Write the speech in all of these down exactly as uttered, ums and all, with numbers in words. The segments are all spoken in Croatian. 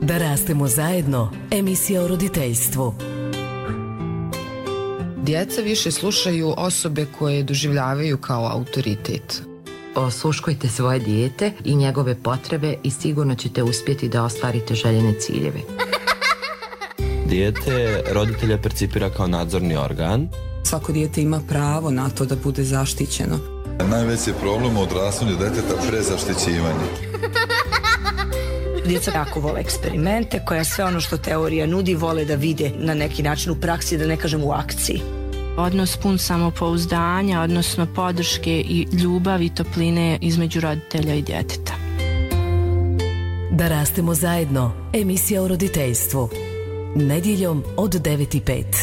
Da rastemo zajedno, emisija o roditeljstvu. Djeca više slušaju osobe koje doživljavaju kao autoritet. Osluškujte svoje dijete i njegove potrebe i sigurno ćete uspjeti da ostvarite željene ciljeve. Dijete roditelja percipira kao nadzorni organ. Svako dijete ima pravo na to da bude zaštićeno. Najveći problem u odrastanju djeteta prezaštićivanje. Djeca jako vole eksperimente, koja sve ono što teorija nudi vole da vide na neki način u praksi, da ne kažem u akciji. Odnos pun samopouzdanja, odnosno podrške i ljubavi i topline između roditelja i djeteta. Da rastemo zajedno, emisija o roditeljstvu. Nedjeljom od devet i pet.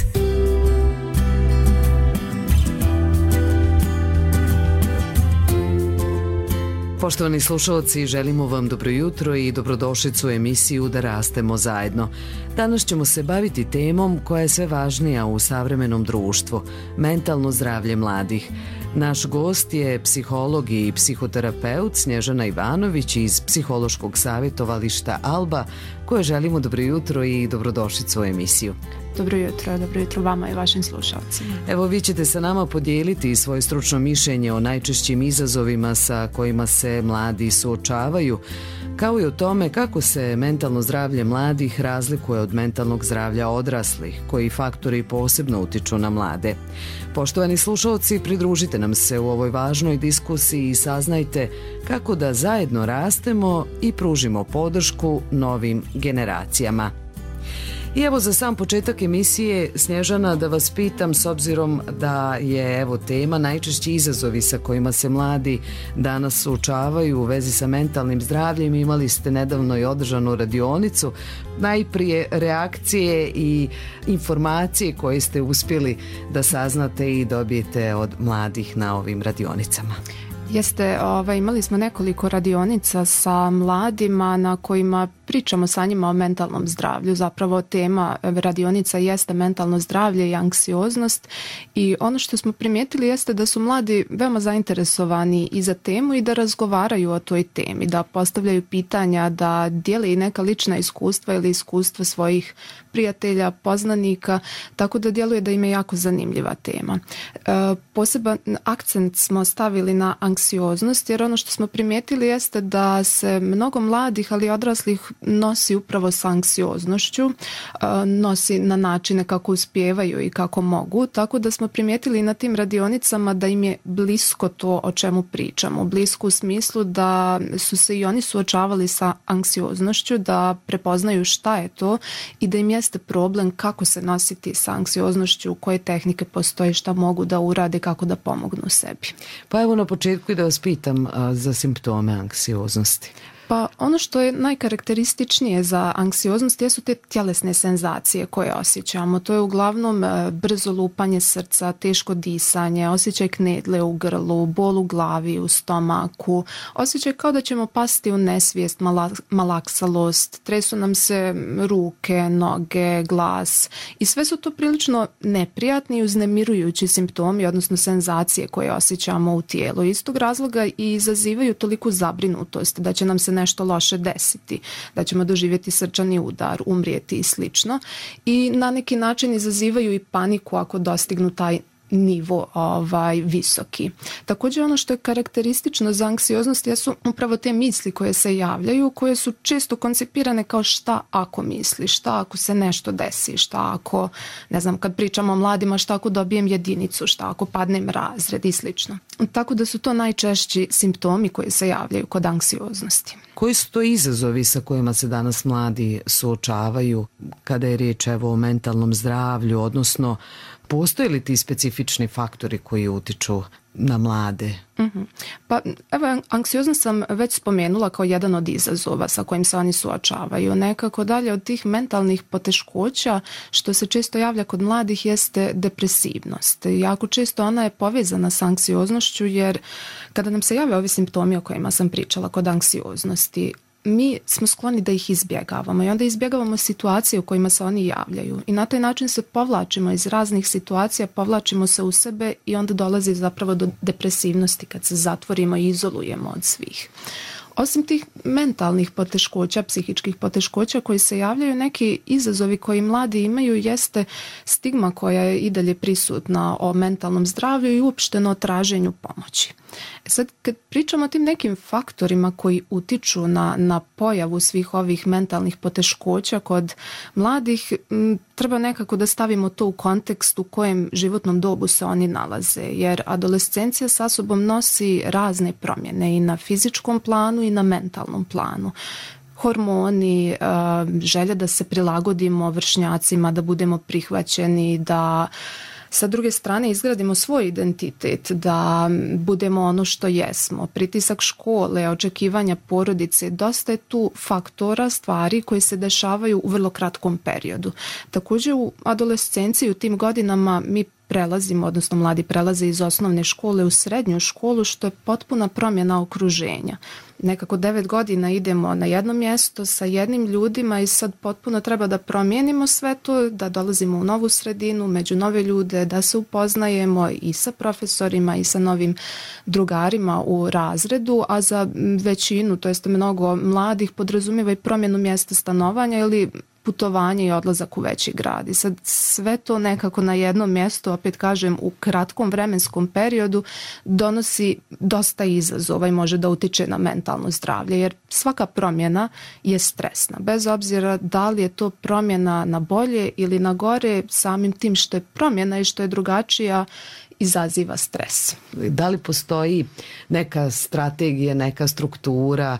Poštovani slušalci, želimo vam dobro jutro i dobrodošlicu u emisiju Da rastemo zajedno. Danas ćemo se baviti temom koja je sve važnija u savremenom društvu, mentalno zdravlje mladih. Naš gost je psiholog i psihoterapeut Snježana Ivanović iz Psihološkog savjetovališta Alba, koje želimo dobro jutro i dobrodošlicu u emisiju. Dobro jutro, dobro jutro vama i vašim slušalcima. Evo, vi ćete sa nama podijeliti svoje stručno mišljenje o najčešćim izazovima sa kojima se mladi suočavaju, kao i o tome kako se mentalno zdravlje mladih razlikuje od mentalnog zdravlja odraslih, koji faktori posebno utiču na mlade. Poštovani slušalci, pridružite nam se u ovoj važnoj diskusiji i saznajte kako da zajedno rastemo i pružimo podršku novim generacijama. I evo za sam početak emisije, Snježana, da vas pitam, s obzirom da je evo tema najčešći izazovi sa kojima se mladi danas suočavaju u vezi sa mentalnim zdravljem. Imali ste nedavno i održanu radionicu. Najprije reakcije i informacije koje ste uspjeli da saznate i dobijete od mladih na ovim radionicama. Jeste, ovaj, imali smo nekoliko radionica sa mladima na kojima pričamo sa njima o mentalnom zdravlju. Zapravo tema radionica jeste mentalno zdravlje i anksioznost i ono što smo primijetili jeste da su mladi veoma zainteresovani i za temu i da razgovaraju o toj temi, da postavljaju pitanja, da dijele i neka lična iskustva ili iskustva svojih prijatelja, poznanika, tako da djeluje da im je jako zanimljiva tema. E, poseban akcent smo stavili na anksioznost, jer ono što smo primijetili jeste da se mnogo mladih, ali i odraslih nosi upravo sa anksioznošću, nosi na načine kako uspijevaju i kako mogu, tako da smo primijetili na tim radionicama da im je blisko to o čemu pričamo, blisko u smislu da su se i oni suočavali sa anksioznošću, da prepoznaju šta je to i da im jeste problem kako se nositi sa anksioznošću, koje tehnike postoje, šta mogu da urade, kako da pomognu sebi. Pa evo na početku i da vas pitam a, za simptome anksioznosti. Pa ono što je najkarakterističnije za anksioznost jesu te tjelesne senzacije koje osjećamo. To je uglavnom brzo lupanje srca, teško disanje, osjećaj knedle u grlu, bol u glavi, u stomaku, osjećaj kao da ćemo pasti u nesvijest, malaksalost, tresu nam se ruke, noge, glas i sve su to prilično neprijatni i uznemirujući simptomi, odnosno senzacije koje osjećamo u tijelu. Iz tog razloga i izazivaju toliku zabrinutost da će nam se nešto loše desiti, da ćemo doživjeti srčani udar, umrijeti i slično. I na neki način izazivaju i paniku ako dostignu taj nivo ovaj, visoki. Također ono što je karakteristično za anksioznost jesu upravo te misli koje se javljaju, koje su često koncipirane kao šta ako misli, šta ako se nešto desi, šta ako, ne znam, kad pričamo o mladima, šta ako dobijem jedinicu, šta ako padnem razred i slično. Tako da su to najčešći simptomi koji se javljaju kod anksioznosti. Koji su to izazovi sa kojima se danas mladi suočavaju kada je riječ evo o mentalnom zdravlju, odnosno postoje li ti specifični faktori koji utiču na mlade? Mm-hmm. Pa evo, anksioznost sam već spomenula kao jedan od izazova sa kojim se oni suočavaju. Nekako dalje od tih mentalnih poteškoća što se često javlja kod mladih jeste depresivnost. Jako često ona je povezana sa anksioznošću, jer kada nam se jave ovi simptomi o kojima sam pričala kod anksioznosti, mi smo skloni da ih izbjegavamo i onda izbjegavamo situacije u kojima se oni javljaju i na taj način se povlačimo iz raznih situacija, povlačimo se u sebe i onda dolazi zapravo do depresivnosti kad se zatvorimo i izolujemo od svih. Osim tih mentalnih poteškoća, psihičkih poteškoća koji se javljaju, neki izazovi koji mladi imaju jeste stigma koja je i dalje prisutna o mentalnom zdravlju i uopšteno o traženju pomoći. E sad, kad pričamo o tim nekim faktorima koji utiču na, na pojavu svih ovih mentalnih poteškoća kod mladih, m, treba nekako da stavimo to u kontekst u kojem životnom dobu se oni nalaze, jer adolescencija sa sobom nosi razne promjene i na fizičkom planu i na mentalnom planu. Hormoni, želja da se prilagodimo vršnjacima, da budemo prihvaćeni, da sa druge strane izgradimo svoj identitet, da budemo ono što jesmo, pritisak škole, očekivanja porodice, dosta je tu faktora, stvari koje se dešavaju u vrlo kratkom periodu. Također u adolescenciji, u tim godinama mi prelazimo, odnosno mladi prelaze iz osnovne škole u srednju školu, što je potpuna promjena okruženja. Nekako devet godina idemo na jedno mjesto sa jednim ljudima i sad potpuno treba da promijenimo sve to, da dolazimo u novu sredinu, među nove ljude, da se upoznajemo i sa profesorima i sa novim drugarima u razredu, a za većinu, to jest mnogo mladih, podrazumijeva i promjenu mjesta stanovanja ili putovanje i odlazak u veći grad. I sad sve to nekako na jednom mjestu, opet kažem, u kratkom vremenskom periodu donosi dosta izazova i može da utiče na mentalno zdravlje, jer svaka promjena je stresna. Bez obzira da li je to promjena na bolje ili na gore, samim tim što je promjena i što je drugačija, izaziva stres. Da li postoji neka strategija, neka struktura,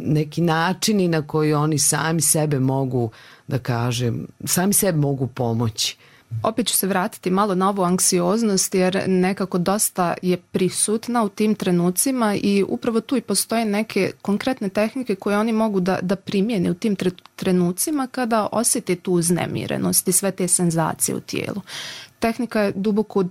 neki načini na koji oni sami sebe mogu, da kažem, sami sebe mogu pomoći? Opet ću se vratiti malo na ovu anksioznost, jer nekako dosta je prisutna u tim trenucima i upravo tu i postoje neke konkretne tehnike koje oni mogu da, da primjene u tim trenucima kada osjeti tu uznemirenost i sve te senzacije u tijelu. Tehnika je duboko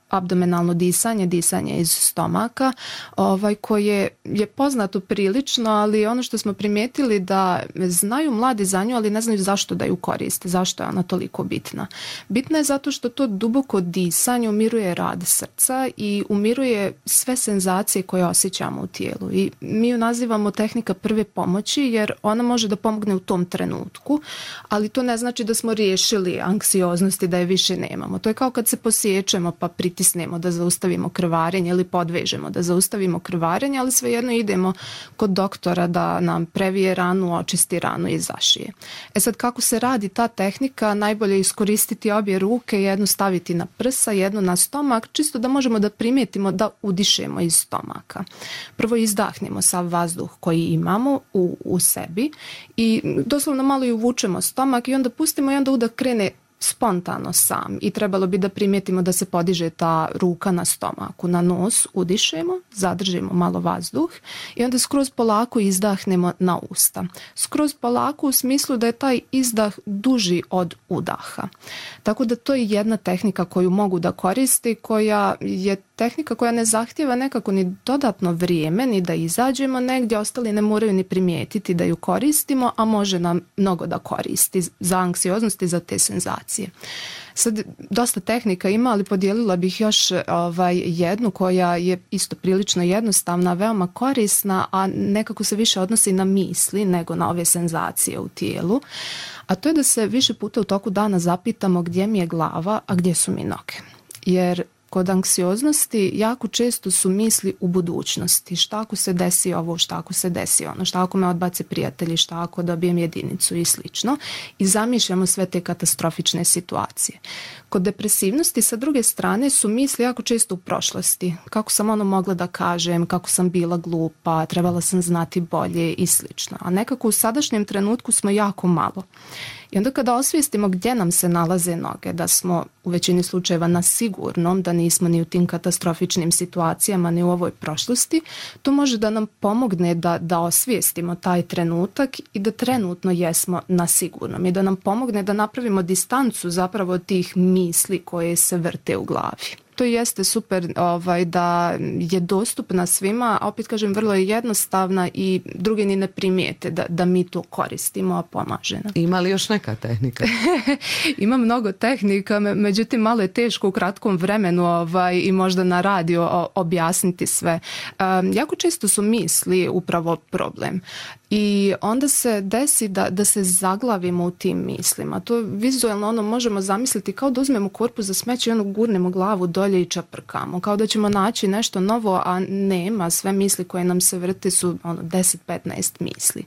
abdomenalno disanje, disanje iz stomaka, ovaj, koje je poznato prilično, ali ono što smo primijetili da znaju mladi za nju, ali ne znaju zašto da ju koriste, zašto je ona toliko bitna. Bitna je zato što to duboko disanje umiruje rad srca i umiruje sve senzacije koje osjećamo u tijelu. I mi ju nazivamo tehnika prve pomoći, jer ona može da pomogne u tom trenutku, ali to ne znači da smo riješili anksioznost i da je više nemamo. To je kao kad se posjećemo pa pritisnemo da zaustavimo krvarenje ili podvežemo da zaustavimo krvarenje, ali svejedno idemo kod doktora da nam previje ranu, očisti ranu i zašije. E sad, kako se radi ta tehnika? Najbolje je iskoristiti obje ruke, jednu staviti na prsa, jednu na stomak, čisto da možemo da primijetimo da udišemo iz stomaka. Prvo izdahnemo sav vazduh koji imamo u, u sebi i doslovno malo i uvučemo stomak i onda pustimo i onda udah krene spontano sam i trebalo bi da primijetimo da se podiže ta ruka na stomaku. Na nos udišemo, zadržimo malo vazduh i onda skroz polako izdahnemo na usta. Skroz polako u smislu da je taj izdah duži od udaha. Tako da to je jedna tehnika koju mogu da koristi, koja je tehnika koja ne zahtijeva nekako ni dodatno vrijeme, ni da izađemo negdje, ostali ne moraju ni primijetiti da ju koristimo, a može nam mnogo da koristi za anksioznost i za te senzacije. Sad, dosta tehnika ima, ali podijelila bih još ovaj, jednu koja je isto prilično jednostavna, veoma korisna, a nekako se više odnosi na misli nego na ove senzacije u tijelu. A to je da se više puta u toku dana zapitamo gdje mi je glava, a gdje su mi noge. Jer kod anksioznosti jako često su misli u budućnosti. Šta ako se desi ovo, šta ako se desi ono, šta ako me odbace prijatelji, šta ako dobijem jedinicu i slično. I zamišljamo sve te katastrofične situacije. Kod depresivnosti sa druge strane su misli jako često u prošlosti. Kako sam ono mogla da kažem, kako sam bila glupa, trebala sam znati bolje i slično. A nekako u sadašnjem trenutku smo jako malo. I onda kada osvijestimo gdje nam se nalaze noge, da smo u većini slučajeva na sigurnom, da nismo ni u tim katastrofičnim situacijama, ni u ovoj prošlosti, to može da nam pomogne da, da osvijestimo taj trenutak i da trenutno jesmo na sigurnom i da nam pomogne da napravimo distancu zapravo tih misli koje se vrte u glavi. to jeste super ovaj, da je dostupna svima, a opet kažem vrlo je jednostavna i drugi ni ne primijete da, da mi to koristimo, a pomaže nam. Ima li još neka tehnika? Ima mnogo tehnika, međutim malo je teško u kratkom vremenu ovaj, i možda na radio objasniti sve. Um, jako često su misli upravo problem. I onda se desi da, da se zaglavimo u tim mislima. To vizualno ono možemo zamisliti kao da uzmemo korpu za smeće i ono gurnemo glavu dolje i čaprkamo. Kao da ćemo naći nešto novo, a nema. Sve misli koje nam se vrte su ono, deset do petnaest misli.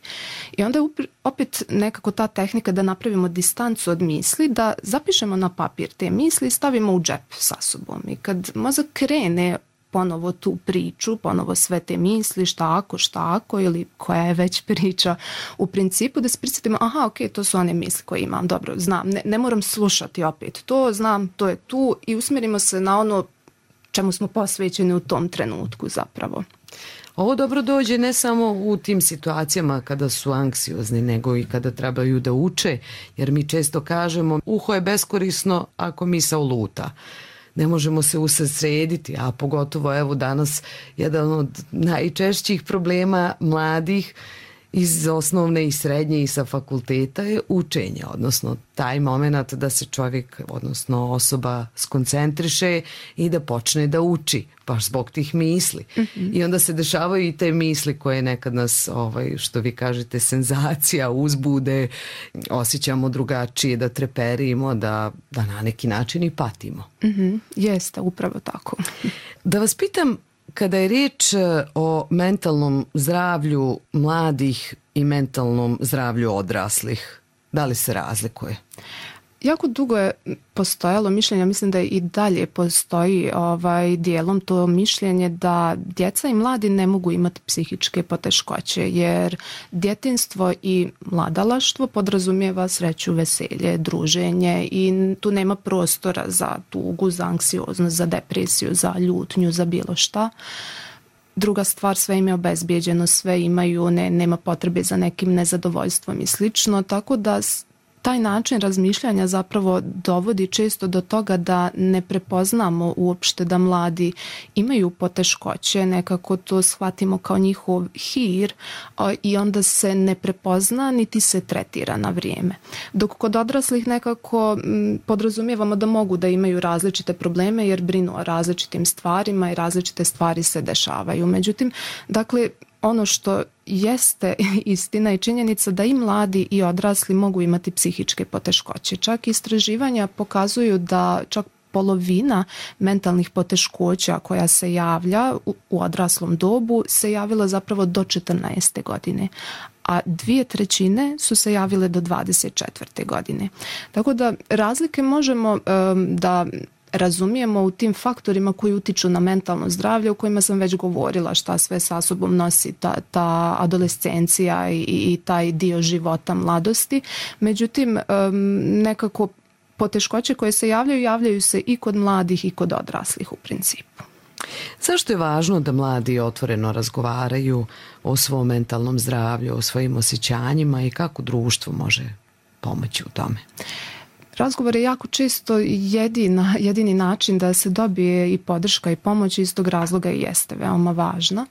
I onda je opet nekako ta tehnika da napravimo distancu od misli, da zapišemo na papir te misli i stavimo u džep sa sobom. I kad mozak krene ponovo tu priču, ponovo sve te misli, šta ako, šta ako ili koja je već priča, u principu da se prisjetimo, aha, ok, to su one misli koje imam, dobro, znam, ne, ne moram slušati opet to, znam, to je tu i usmjerimo se na ono čemu smo posvećeni u tom trenutku zapravo. Ovo dobro dođe ne samo u tim situacijama kada su anksiozni, nego i kada trebaju da uče, jer mi često kažemo uho je beskorisno ako misao luta. Ne možemo se usredsrediti, a pogotovo evo danas jedan od najčešćih problema mladih iz osnovne i srednje i sa fakulteta je učenje, odnosno taj moment da se čovjek, odnosno osoba skoncentriše i da počne da uči, baš zbog tih misli. Mm-hmm. I onda se dešavaju i te misli koje nekad nas, ovaj, što vi kažete, senzacija, uzbude, osjećamo drugačije, da treperimo, da, da na neki način i patimo. Mm-hmm. Jeste, upravo tako. Da vas pitam, kada je riječ o mentalnom zdravlju mladih i mentalnom zdravlju odraslih, da li se razlikuje? Jako dugo je postojalo mišljenje, mislim da i dalje postoji ovaj dijelom to mišljenje da djeca i mladi ne mogu imati psihičke poteškoće, jer djetinjstvo i mladalaštvo podrazumijeva sreću, veselje, druženje i tu nema prostora za tugu, za anksioznost, za depresiju, za ljutnju, za bilo šta. Druga stvar, sve im je obezbijeđeno, sve imaju, ne, nema potrebe za nekim nezadovoljstvom i slično, tako da taj način razmišljanja zapravo dovodi često do toga da ne prepoznamo uopšte da mladi imaju poteškoće, nekako to shvatimo kao njihov hir i onda se ne prepozna niti se tretira na vrijeme. Dok kod odraslih nekako podrazumijevamo da mogu da imaju različite probleme jer brinu o različitim stvarima i različite stvari se dešavaju. Međutim, dakle, ono što jeste istina i činjenica da i mladi i odrasli mogu imati psihičke poteškoće. Čak istraživanja pokazuju da čak polovina mentalnih poteškoća koja se javlja u, u odraslom dobu se javila zapravo do četrnaeste godine, a dvije trećine su se javile do dvadeset četvrte godine. Tako da razlike možemo um, da razumijemo u tim faktorima koji utiču na mentalno zdravlje, o kojima sam već govorila, šta sve sa sobom nosi ta, ta adolescencija i, i taj dio života mladosti. Međutim, nekako poteškoće koje se javljaju, javljaju se i kod mladih i kod odraslih u principu. Zašto je važno da mladi otvoreno razgovaraju o svom mentalnom zdravlju, o svojim osjećanjima i kako društvo može pomoći u tome? Razgovor je jako često jedina, jedini način da se dobije i podrška i pomoć, iz tog razloga i jeste veoma važna.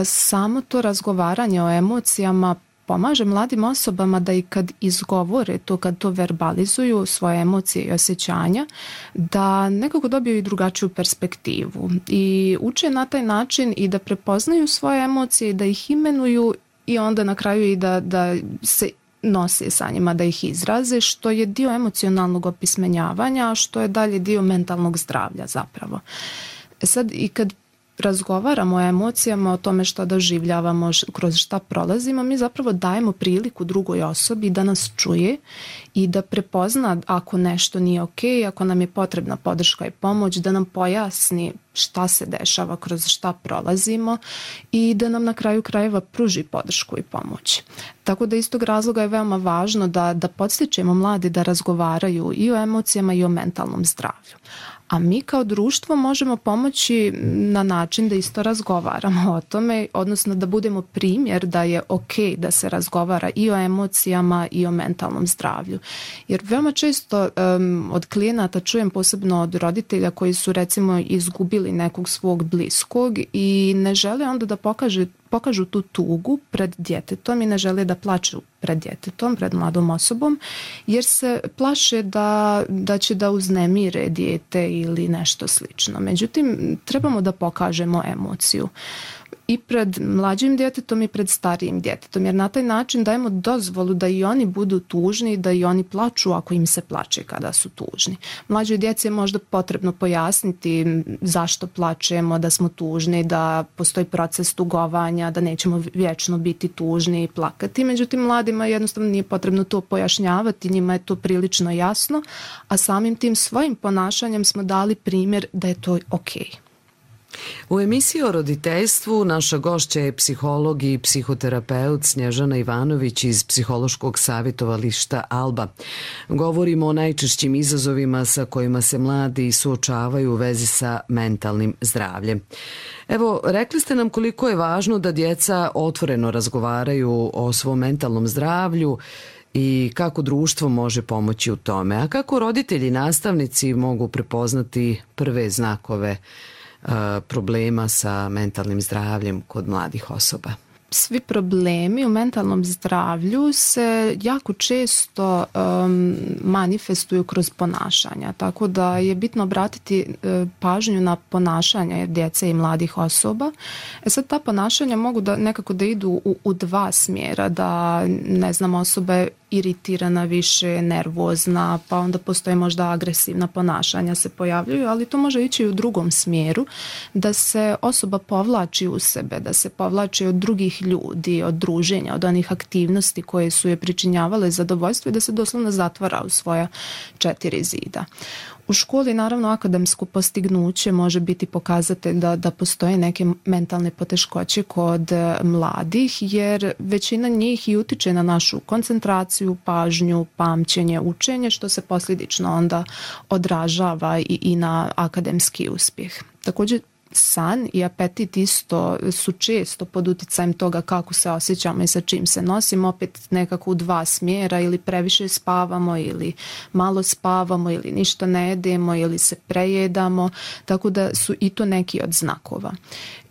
Samo to razgovaranje o emocijama pomaže mladim osobama da i kad izgovore to, kad to verbalizuju svoje emocije i osjećanja, da nekako dobiju i drugačiju perspektivu i uče na taj način i da prepoznaju svoje emocije i da ih imenuju i onda na kraju i da, da se nose sa njima, da ih izraze, što je dio emocionalnog opismenjavanja, a što je dalje dio mentalnog zdravlja zapravo. E sad, i kad razgovaramo o emocijama, o tome što doživljavamo, kroz šta prolazimo, mi zapravo dajemo priliku drugoj osobi da nas čuje i da prepozna ako nešto nije ok, ako nam je potrebna podrška i pomoć, da nam pojasni šta se dešava, kroz šta prolazimo i da nam na kraju krajeva pruži podršku i pomoć. Tako da iz tog razloga je veoma važno da, da podstičemo mlade da razgovaraju i o emocijama i o mentalnom zdravlju. A mi kao društvo možemo pomoći na način da isto razgovaramo o tome, odnosno da budemo primjer da je ok da se razgovara i o emocijama i o mentalnom zdravlju. Jer veoma često um, od klijenata čujem, posebno od roditelja koji su recimo izgubili nekog svog bliskog i ne žele onda da pokaže pokažu tu tugu pred djetetom i ne žele da plaču pred djetetom, pred mladom osobom, jer se plaše da, da će da uznemire dijete ili nešto slično. Međutim, trebamo da pokažemo emociju i pred mlađim djetetom i pred starijim djetetom, jer na taj način dajemo dozvolu da i oni budu tužni, da i oni plaču ako im se plače kada su tužni. Mlađoj djeci je možda potrebno pojasniti zašto plačemo, da smo tužni, da postoji proces tugovanja, da nećemo vječno biti tužni i plakati. Međutim, mladima jednostavno nije potrebno to pojašnjavati, njima je to prilično jasno, a samim tim svojim ponašanjem smo dali primjer da je to okej. U emisiji o roditeljstvu naša gošća je psiholog i psihoterapeut Snježana Ivanović iz psihološkog savjetovališta Alba. Govorimo o najčešćim izazovima sa kojima se mladi suočavaju u vezi sa mentalnim zdravljem. Evo, rekli ste nam koliko je važno da djeca otvoreno razgovaraju o svom mentalnom zdravlju i kako društvo može pomoći u tome. A kako roditelji i nastavnici mogu prepoznati prve znakove problema sa mentalnim zdravljem kod mladih osoba? Svi problemi u mentalnom zdravlju se jako često um, manifestuju kroz ponašanja, tako da je bitno obratiti uh, pažnju na ponašanja djece i mladih osoba. E sad, ta ponašanja mogu da nekako da idu u, u dva smjera, da ne znam, osoba je iritirana više, nervozna, pa onda postoje možda agresivna ponašanja se pojavljuju, ali to može ići i u drugom smjeru, da se osoba povlači u sebe, da se povlači od drugih ljudi, od druženja, od onih aktivnosti koje su je pričinjavale zadovoljstvo i da se doslovno zatvara u svoja četiri zida. U školi naravno akademsko postignuće može biti pokazatelj da, da postoje neke mentalne poteškoće kod mladih, jer većina njih i utiče na našu koncentraciju, pažnju, pamćenje, učenje, što se posljedično onda odražava i, i na akademski uspjeh. Također, san i apetit isto su često pod uticajem toga kako se osjećamo i sa čim se nosimo, opet nekako u dva smjera, ili previše spavamo ili malo spavamo ili ništa ne jedemo ili se prejedamo, tako da su i to neki od znakova.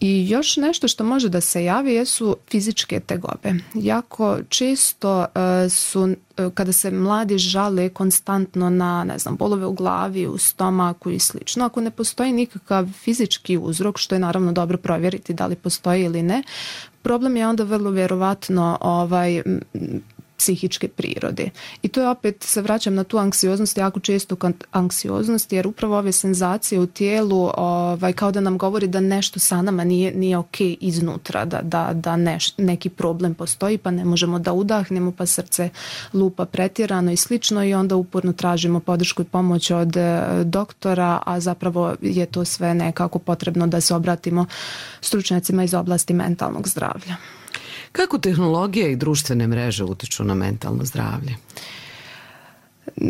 I još nešto što može da se javi jesu fizičke tegobe. Jako često uh, su uh, kada se mladi žale konstantno na, ne znam, bolove u glavi, u stomaku i slično, ako ne postoji nikakav fizički uzrok, što je naravno dobro provjeriti da li postoji ili ne, problem je onda vrlo vjerovatno ovaj psihičke prirode. I to je opet, se vraćam na tu anksioznost, jako često anksioznost, jer upravo ove senzacije u tijelu ovaj, kao da nam govori da nešto sa nama nije, nije ok iznutra, da, da, da neš, neki problem postoji, pa ne možemo da udahnemo, pa srce lupa pretjerano i slično, i onda uporno tražimo podršku i pomoć od doktora, a zapravo je to sve nekako potrebno da se obratimo stručnjacima iz oblasti mentalnog zdravlja. Kako tehnologija i društvene mreže utiču na mentalno zdravlje?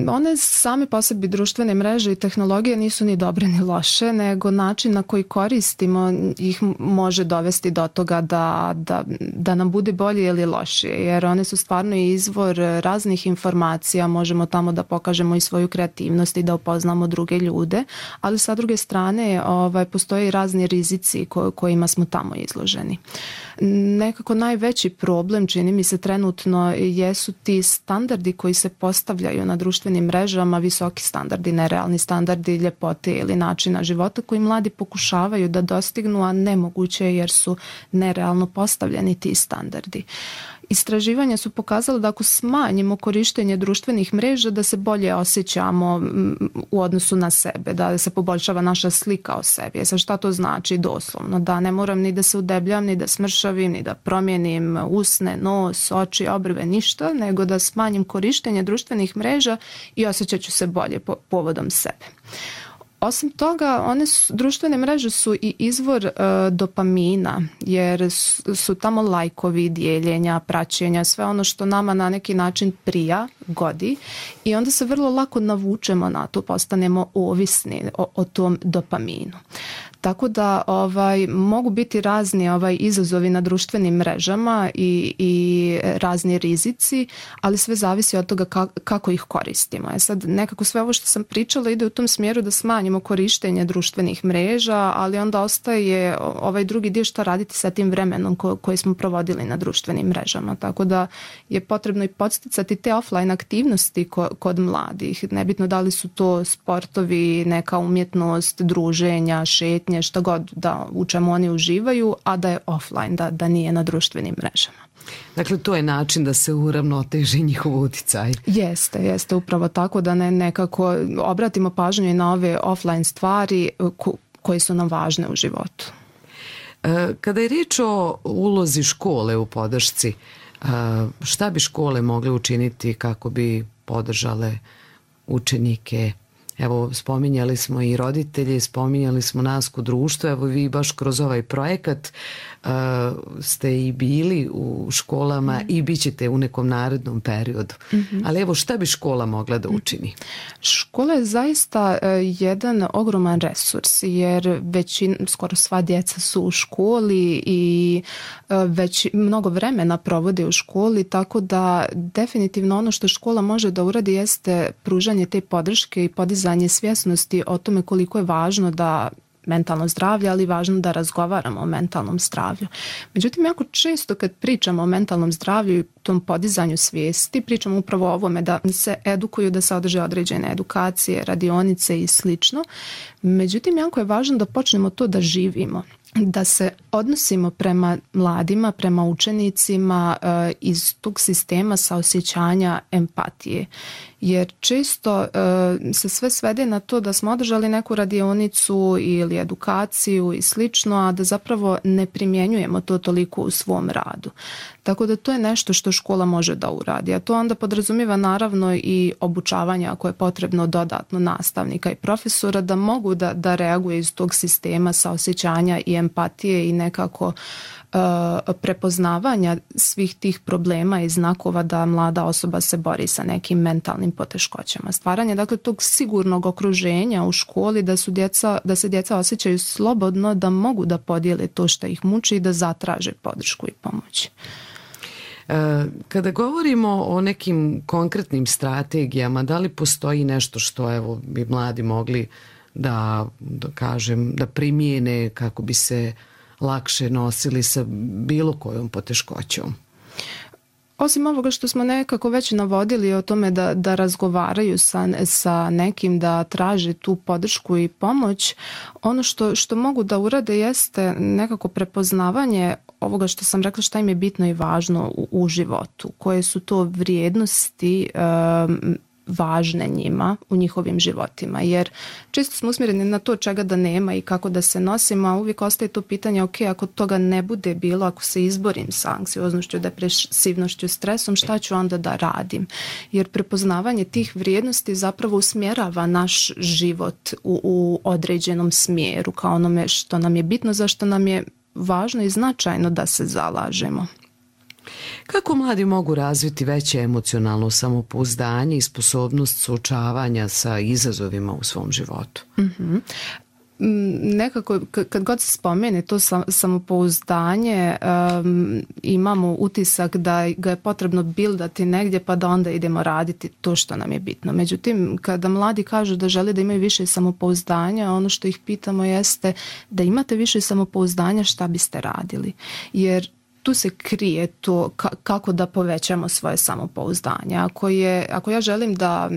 One same po sebi, društvene mreže i tehnologije, nisu ni dobre ni loše, nego način na koji koristimo ih može dovesti do toga da, da, da nam bude bolje ili lošije, jer one su stvarno izvor raznih informacija, možemo tamo da pokažemo i svoju kreativnost i da upoznamo druge ljude, ali sa druge strane ovaj, postoje i razni rizici ko, kojima smo tamo izloženi. Nekako najveći problem, čini mi se trenutno, jesu ti standardi koji se postavljaju na društvenim mrežama, visoki standardi, nerealni standardi ljepote ili načina života koji mladi pokušavaju da dostignu, a nemoguće je jer su nerealno postavljeni ti standardi. Istraživanja su pokazala da ako smanjimo korištenje društvenih mreža, da se bolje osjećamo u odnosu na sebe, da se poboljšava naša slika o sebi. Sad, šta to znači doslovno? Da ne moram ni da se udebljam, ni da smršavim, ni da promijenim usne, nos, oči, obrve, ništa, nego da smanjim korištenje društvenih mreža i osjećat ću se bolje po, povodom sebe. Osim toga, one su, društvene mreže su i izvor e, dopamina, jer su, su tamo lajkovi, dijeljenja, praćenja, sve ono što nama na neki način prija, godi, i onda se vrlo lako navučemo na to, postanemo ovisni o, o tom dopaminu. Tako da ovaj, mogu biti razni ovaj, izazovi na društvenim mrežama i, i razni rizici, ali sve zavisi od toga ka, kako ih koristimo. E sad, nekako sve ovo što sam pričala ide u tom smjeru da smanjimo korištenje društvenih mreža, ali onda ostaje ovaj drugi dio šta raditi sa tim vremenom ko, koji smo provodili na društvenim mrežama. Tako da je potrebno i podsticati te offline aktivnosti ko, kod mladih. Nebitno da li su to sportovi, neka umjetnost, druženja, šetnje, šta god da u čemu oni uživaju, a da je offline, da, da nije na društvenim mrežama. Dakle, to je način da se uravnoteži njihov uticaj. Jeste, jeste upravo tako, da ne nekako obratimo pažnju i na ove offline stvari ko, koje su nam važne u životu. Kada je riječ o ulozi škole u podršci, šta bi škole mogle učiniti kako bi podržale učenike? Evo, spominjali smo i roditelji, spominjali smo nas kod društva, evo vi baš kroz ovaj projekat uh, ste i bili u školama mm. i bit ćete u nekom narednom periodu. Mm-hmm. Ali evo, šta bi škola mogla da učini? Škola je zaista uh, jedan ogroman resurs, jer većin, skoro sva djeca su u školi i uh, već mnogo vremena provode u školi, tako da definitivno ono što škola može da uradi jeste pružanje te podrške i podizanje svjesnosti o tome koliko je važno da mentalno zdravlje, ali važno da razgovaramo o mentalnom zdravlju. Međutim, jako često kad pričamo o mentalnom zdravlju i tom podizanju svijesti, pričamo upravo o ovome da se edukuju, da se održe određene edukacije, radionice i slično. Međutim, jako je važno da počnemo to da živimo, da se odnosimo prema mladima, prema učenicima uh, iz tog sistema saosjećanja empatije. Jer često uh, se sve svede na to da smo održali neku radionicu ili edukaciju i slično, a da zapravo ne primjenjujemo to toliko u svom radu. Tako da to je nešto što škola može da uradi, a to onda podrazumijeva naravno i obučavanje ako je potrebno dodatno nastavnika i profesora da mogu da, da reaguje iz tog sistema saosjećanja i empatije i nekako uh, prepoznavanja svih tih problema i znakova da mlada osoba se bori sa nekim mentalnim poteškoćama. Stvaranje dakle tog sigurnog okruženja u školi da su djeca, da se djeca osjećaju slobodno, da mogu da podijele to što ih muči i da zatraže podršku i pomoć. Kada govorimo o nekim konkretnim strategijama, da li postoji nešto što evo bi mladi mogli da, da kažem, da primijene kako bi se lakše nosili sa bilo kojom poteškoćom? Osim ovoga što smo nekako već navodili o tome da, da razgovaraju sa, sa nekim, da traže tu podršku i pomoć, ono što, što mogu da urade jeste nekako prepoznavanje ovoga što sam rekla šta im je bitno i važno u, u životu, koje su to vrijednosti um, važne njima u njihovim životima, jer često smo usmjereni na to čega da nema i kako da se nosimo, a uvijek ostaje to pitanje, ok, ako toga ne bude bilo, ako se izborim sa anksioznošću, depresivnošću, stresom, šta ću onda da radim? Jer prepoznavanje tih vrijednosti zapravo usmjerava naš život u, u određenom smjeru, kao onome što nam je bitno, zašto nam je važno i značajno da se zalažemo. Kako mladi mogu razviti veće emocionalno samopouzdanje i sposobnost suočavanja sa izazovima u svom životu? Mm-hmm. Nekako kad god se spomene to samopouzdanje um, imamo utisak da ga je potrebno bildati negdje pa da onda idemo raditi to što nam je bitno. Međutim, kada mladi kažu da žele da imaju više samopouzdanja, ono što ih pitamo jeste da imate više samopouzdanja, šta biste radili? Jer tu se krije to kako da povećamo svoje samopouzdanje. Ako, je, ako ja želim da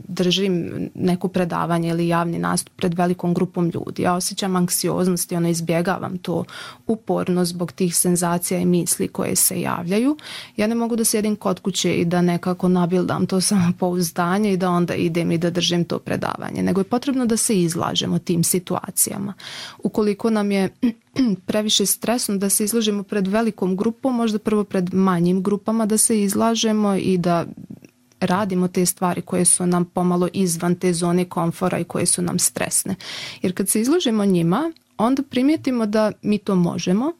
držim neko predavanje ili javni nastup pred velikom grupom ljudi, ja osjećam anksioznost i ono izbjegavam to uporno zbog tih senzacija i misli koje se javljaju, ja ne mogu da sjedim kod kuće i da nekako nabildam to samopouzdanje i da onda idem i da držim to predavanje. Nego je potrebno da se izlažemo tim situacijama. Ukoliko nam je previše stresno da se izlažemo pred velikom grupom, možda prvo pred manjim grupama da se izlažemo i da radimo te stvari koje su nam pomalo izvan te zone komfora i koje su nam stresne. Jer kad se izložimo njima, onda primijetimo da mi to možemo,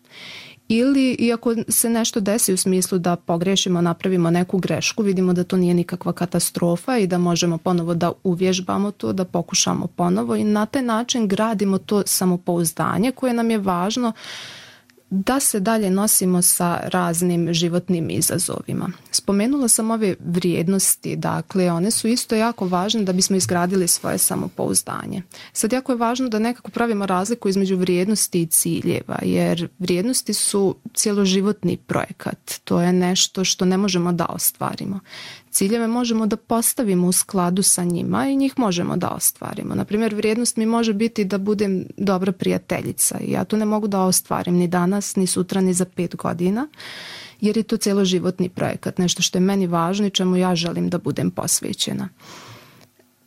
ili iako se nešto desi u smislu da pogrešimo, napravimo neku grešku, vidimo da to nije nikakva katastrofa i da možemo ponovo da uvježbamo to, da pokušamo ponovo i na taj način gradimo to samopouzdanje koje nam je važno da se dalje nosimo sa raznim životnim izazovima. Spomenula sam ove vrijednosti, dakle one su isto jako važne da bismo izgradili svoje samopouzdanje. Sad jako je važno da nekako pravimo razliku između vrijednosti i ciljeva, jer vrijednosti su cjeloživotni projekat. To je nešto što ne možemo da ostvarimo. Ciljeve možemo da postavimo u skladu sa njima i njih možemo da ostvarimo. Naprimjer, vrijednost mi može biti da budem dobra prijateljica i ja to ne mogu da ostvarim ni danas, ni sutra, ni za pet godina, jer je to cjeloživotni projekat, nešto što je meni važno i čemu ja želim da budem posvećena.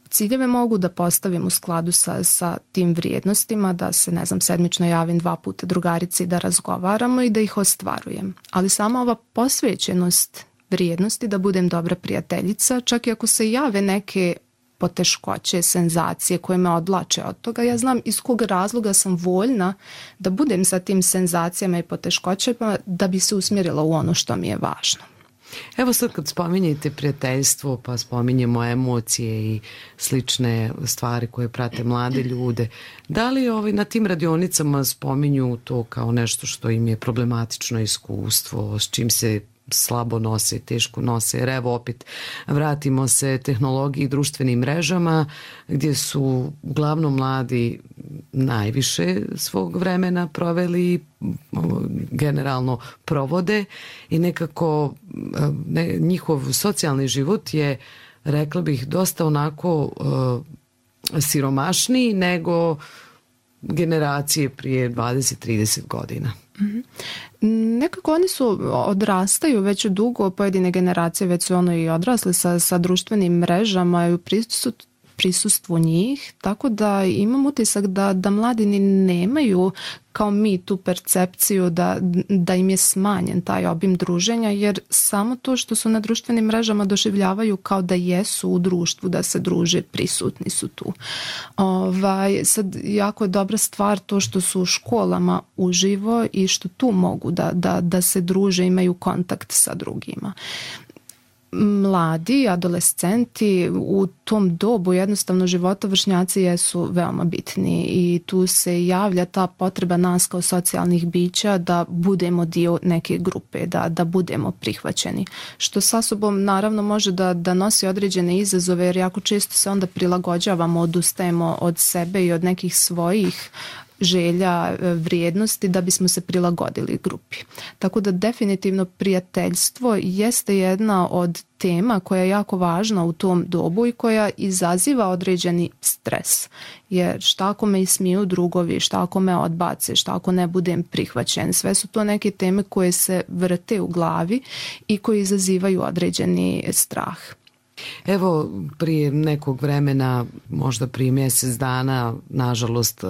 Ciljeve mogu da postavim u skladu sa, sa tim vrijednostima, da se, ne znam, sedmično javim dva puta drugarici da razgovaramo i da ih ostvarujem. Ali sama ova posvećenost vrijednosti da budem dobra prijateljica, čak i ako se jave neke poteškoće, senzacije koje me odvlače od toga, ja znam iz kog razloga sam voljna da budem sa tim senzacijama i poteškoćama da bi se usmjerila u ono što mi je važno. Evo sad kad spominjete prijateljstvo, pa spominjemo emocije i slične stvari koje prate mlade ljude, da li ovi na tim radionicama spominju to kao nešto što im je problematično iskustvo, s čim se slabo nose, teško nose, jer evo opet vratimo se tehnologiji i društvenim mrežama gdje su uglavnom mladi najviše svog vremena proveli, generalno provode i nekako ne, njihov socijalni život je, rekla bih, dosta onako uh, siromašniji nego generacije prije dvadeset trideset godina. Mm-hmm. Nekako oni su odrastaju već dugo, pojedine generacije već su ono i odrasle sa, sa društvenim mrežama i u prisut, prisustvu njih, tako da imam utisak da, da mladi ni nemaju kao mi tu percepciju da, da im je smanjen taj obim druženja, jer samo to što su na društvenim mrežama doživljavaju kao da jesu u društvu, da se druže, prisutni su tu. Ovaj, sad jako je dobra stvar to što su u školama uživo i što tu mogu da, da, da se druže, imaju kontakt sa drugima. Mladi, adolescenti u tom dobu jednostavno života vršnjaci jesu veoma bitni i tu se javlja ta potreba nas kao socijalnih bića da budemo dio neke grupe, da, da budemo prihvaćeni. Što sa sobom naravno može da, da nosi određene izazove, jer jako često se onda prilagođavamo, odustajemo od sebe i od nekih svojih želja, vrijednosti da bismo se prilagodili grupi. Tako da definitivno prijateljstvo jeste jedna od tema koja je jako važna u tom dobu i koja izaziva određeni stres. Jer šta ako me ismiju drugovi, šta ako me odbace, šta ako ne budem prihvaćen. Sve su to neke teme koje se vrte u glavi i koje izazivaju određeni strah. Evo, prije nekog vremena, možda prije mjesec dana, nažalost,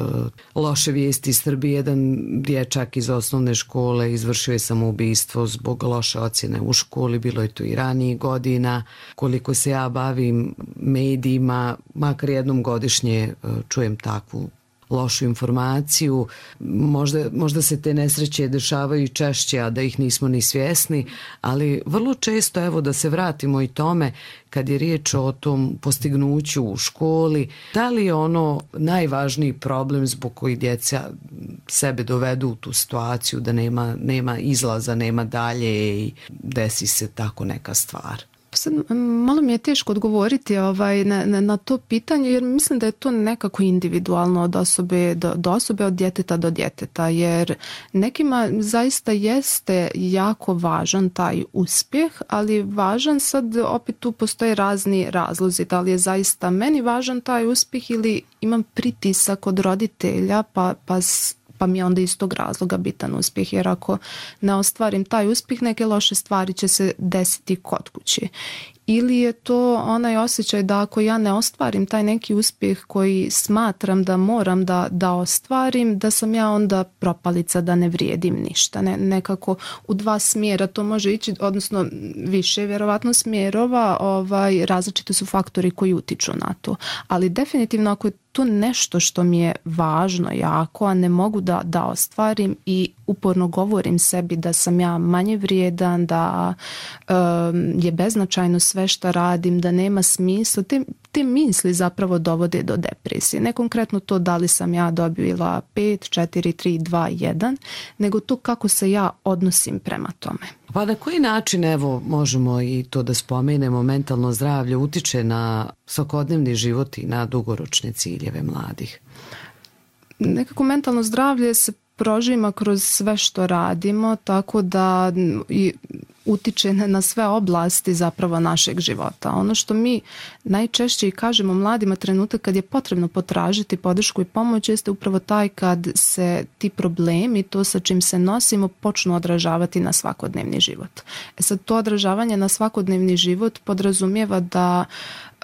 loše vijesti iz Srbije. Jedan dječak iz osnovne škole izvršio je samoubistvo zbog loše ocjene u školi, bilo je to i ranijih godina. Koliko se ja bavim medijima, makar jednom godišnje čujem takvu lošu informaciju. Možda, možda se te nesreće dešavaju i češće, a da ih nismo ni svjesni, ali vrlo često, evo da se vratimo i tome, kad je riječ o tom postignuću u školi, da li je ono najvažniji problem zbog koji djeca sebe dovedu u tu situaciju da nema, nema izlaza, nema dalje i desi se tako neka stvar? Sad, malo mi je teško odgovoriti ovaj, na, na, na to pitanje, jer mislim da je to nekako individualno od osobe do, do osobe, od djeteta do djeteta, jer nekima zaista jeste jako važan taj uspjeh, ali važan sad, opet tu postoje razni razlozi, da li je zaista meni važan taj uspjeh ili imam pritisak od roditelja pa, pa pa mi je onda iz tog razloga bitan uspjeh, jer ako ne ostvarim taj uspjeh, neke loše stvari će se desiti kod kuće. ili je to onaj osjećaj da ako ja ne ostvarim taj neki uspjeh koji smatram da moram da, da ostvarim, da sam ja onda propalica, da ne vrijedim ništa. Ne, nekako u dva smjera to može ići, odnosno više vjerovatno smjerova, ovaj, različiti su faktori koji utiču na to. Ali definitivno ako je to nešto što mi je važno jako, a ne mogu da, da ostvarim i uporno govorim sebi da sam ja manje vrijedan, da um, je beznačajno sve što radim, da nema smisla, te, te misli zapravo dovode do depresije. Ne konkretno to da li sam ja dobila pet, četiri, tri, dva, jedan, nego to kako se ja odnosim prema tome. Pa na koji način, evo, možemo i to da spomenemo, mentalno zdravlje utiče na svakodnevni život i na dugoročne ciljeve mladih? Nekako mentalno zdravlje se prožima kroz sve što radimo, tako da i utiče na sve oblasti zapravo našeg života. Ono što mi najčešće i kažemo mladima, trenutak kad je potrebno potražiti podršku i pomoć, jeste upravo taj kad se ti problemi, to sa čim se nosimo, počnu odražavati na svakodnevni život. E sad, to odražavanje na svakodnevni život podrazumijeva da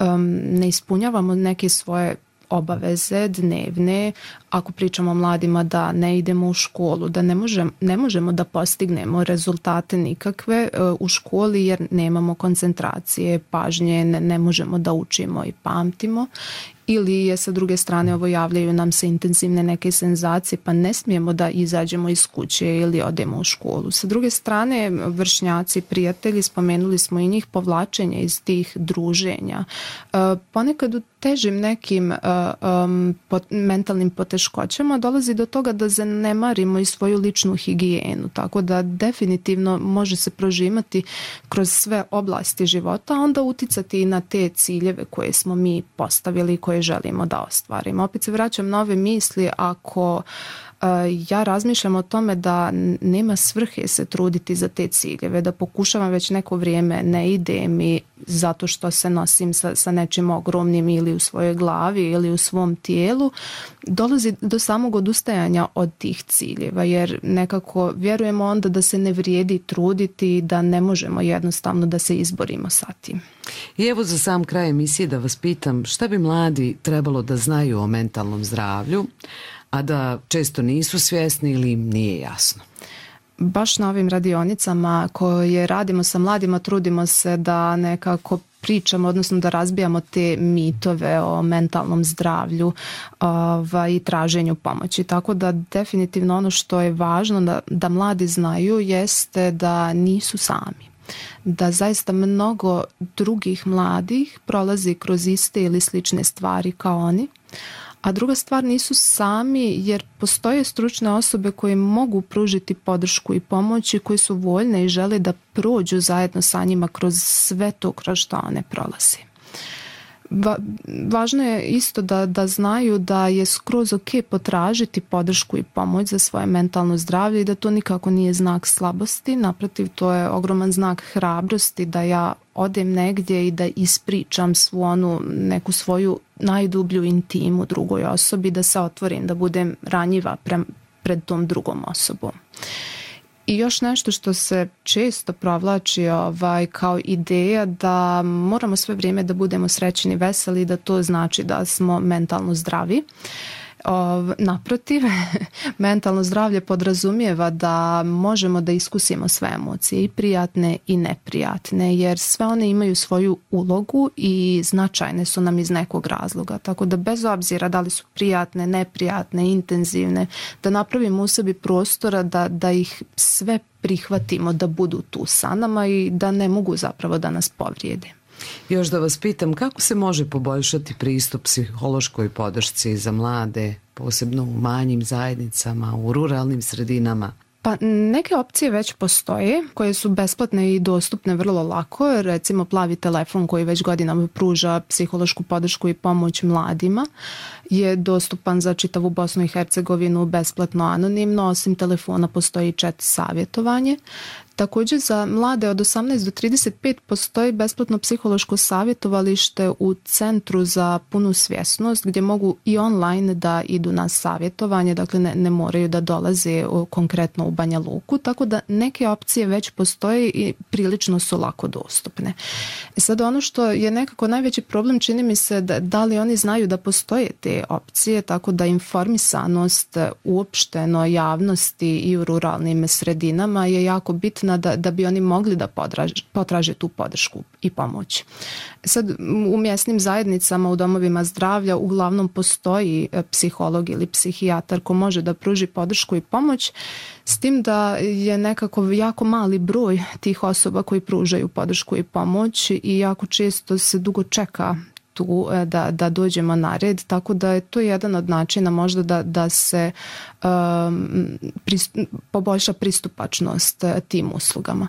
um, ne ispunjavamo neke svoje obaveze dnevne, ako pričamo o mladima da ne idemo u školu, da ne možemo, ne možemo da postignemo rezultate nikakve u školi jer nemamo koncentracije, pažnje, ne, ne možemo da učimo i pamtimo. Ili je sa druge strane ovo javljaju nam se intenzivne neke senzacije pa ne smijemo da izađemo iz kuće ili odemo u školu. Sa druge strane vršnjaci, prijatelji, spomenuli smo i njih, povlačenje iz tih druženja. Ponekad u težim nekim um, pot, mentalnim poteškoćama dolazi do toga da zanemarimo i svoju ličnu higijenu, tako da definitivno može se prožimati kroz sve oblasti života, a onda uticati i na te ciljeve koje smo mi postavili, koje želimo da ostvarimo. Opet se vraćam na ove misli, ako uh, ja razmišljam o tome da nema svrhe se truditi za te ciljeve, da pokušavam već neko vrijeme, ne ide mi zato što se nosim sa, sa nečim ogromnim ili u svojoj glavi ili u svom tijelu, dolazi do samog odustajanja od tih ciljeva, jer nekako vjerujemo onda da se ne vrijedi truditi, da ne možemo jednostavno da se izborimo sa tim. I evo za sam kraj emisije da vas pitam, šta bi mladi trebalo da znaju o mentalnom zdravlju, a da često nisu svjesni ili im nije jasno? Baš na ovim radionicama koje radimo sa mladima trudimo se da nekako pričamo, odnosno da razbijamo te mitove o mentalnom zdravlju ovaj, i traženju pomoći. Tako da definitivno ono što je važno da, da mladi znaju jeste da nisu sami. Da zaista mnogo drugih mladih prolazi kroz iste ili slične stvari kao oni. A druga stvar, nisu sami jer postoje stručne osobe koje mogu pružiti podršku i pomoć i koji su voljne i žele da prođu zajedno sa njima kroz sve to kroz što one prolaze. Va, važno je isto da, da znaju da je skroz ok potražiti podršku i pomoć za svoje mentalno zdravlje i da to nikako nije znak slabosti, naprotiv to je ogroman znak hrabrosti da ja odem negdje i da ispričam svu onu neku svoju najdublju intimu drugoj osobi, da se otvorim, da budem ranjiva pre, pred tom drugom osobom. I još nešto što se često provlači ovaj, kao ideja da moramo sve vrijeme da budemo srećni i veseli, da to znači da smo mentalno zdravi. O, naprotiv, mentalno zdravlje podrazumijeva da možemo da iskusimo sve emocije, i prijatne i neprijatne, jer sve one imaju svoju ulogu i značajne su nam iz nekog razloga. Tako da bez obzira da li su prijatne, neprijatne, intenzivne, da napravimo u sebi prostora da, da ih sve prihvatimo, da budu tu sa nama i da ne mogu zapravo da nas povrijede. Još da vas pitam, kako se može poboljšati pristup psihološkoj podršci za mlade, posebno u manjim zajednicama, u ruralnim sredinama? Pa neke opcije već postoje koje su besplatne i dostupne vrlo lako. Recimo Plavi telefon koji već godinama pruža psihološku podršku i pomoć mladima je dostupan za čitavu Bosnu i Hercegovinu besplatno, anonimno. Osim telefona postoji chat savjetovanje. Također za mlade od osamnaest do trideset pet postoji besplatno psihološko savjetovalište u Centru za punu svjesnost gdje mogu i online da idu na savjetovanje, dakle ne, ne moraju da dolaze konkretno u Banja Luku, tako da neke opcije već postoje i prilično su lako dostupne. E sad ono što je nekako najveći problem, čini mi se da, da li oni znaju da postoje te opcije, tako da informisanost uopšteno javnosti i u ruralnim sredinama je jako bitna Da, da bi oni mogli da potraže, potraže tu podršku i pomoć. Sad u mjesnim zajednicama, u domovima zdravlja uglavnom postoji psiholog ili psihijatar ko može da pruži podršku i pomoć, s tim da je nekako jako mali broj tih osoba koji pružaju podršku i pomoć i jako često se dugo čeka tu da, da dođemo na red, tako da je to jedan od načina možda da, da se um, pristup, poboljša pristupačnost tim uslugama.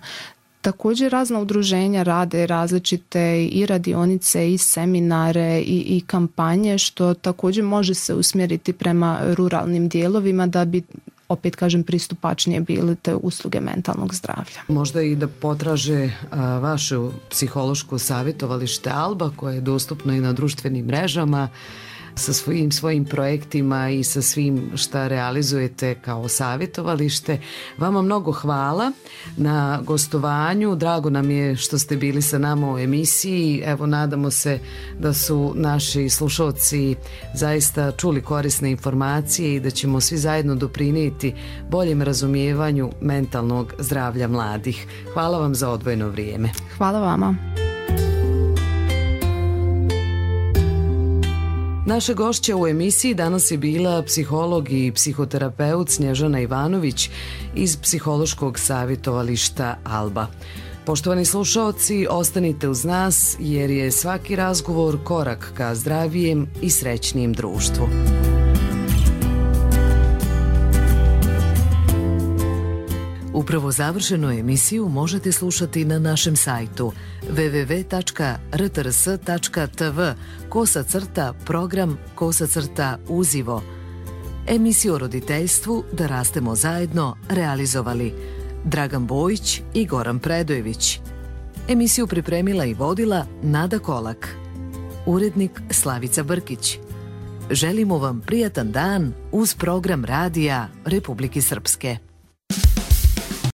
Također razna udruženja rade različite i radionice i seminare i, i kampanje, što također može se usmjeriti prema ruralnim dijelovima da bi, opet kažem, pristupačnije bile te usluge mentalnog zdravlja. Možda i da potraže a, vaše psihološko savjetovalište Alba, koje je dostupno i na društvenim mrežama, sa svojim svojim projektima i sa svim šta realizujete kao savjetovalište. Vama mnogo hvala na gostovanju. Drago nam je što ste bili sa nama u emisiji. Evo, nadamo se da su naši slušalci zaista čuli korisne informacije i da ćemo svi zajedno doprinijeti boljem razumijevanju mentalnog zdravlja mladih. Hvala vam za odvojeno vrijeme. Hvala vama. Naša gošća u emisiji danas je bila psiholog i psihoterapeut Snježana Ivanović iz psihološkog savjetovališta Alba. Poštovani slušaoci, ostanite uz nas jer je svaki razgovor korak ka zdravijem i srećnijem društvu. Upravo završenu emisiju možete slušati na našem sajtu w w w tačka r t r s tačka t v kosa crta program kosa crta uzivo. Emisiju o roditeljstvu Da rastemo zajedno realizovali Dragan Bojić i Goran Predojević. Emisiju pripremila i vodila Nada Kolak. Urednik Slavica Brkić. Želimo vam prijatan dan uz program radija Republike Srpske.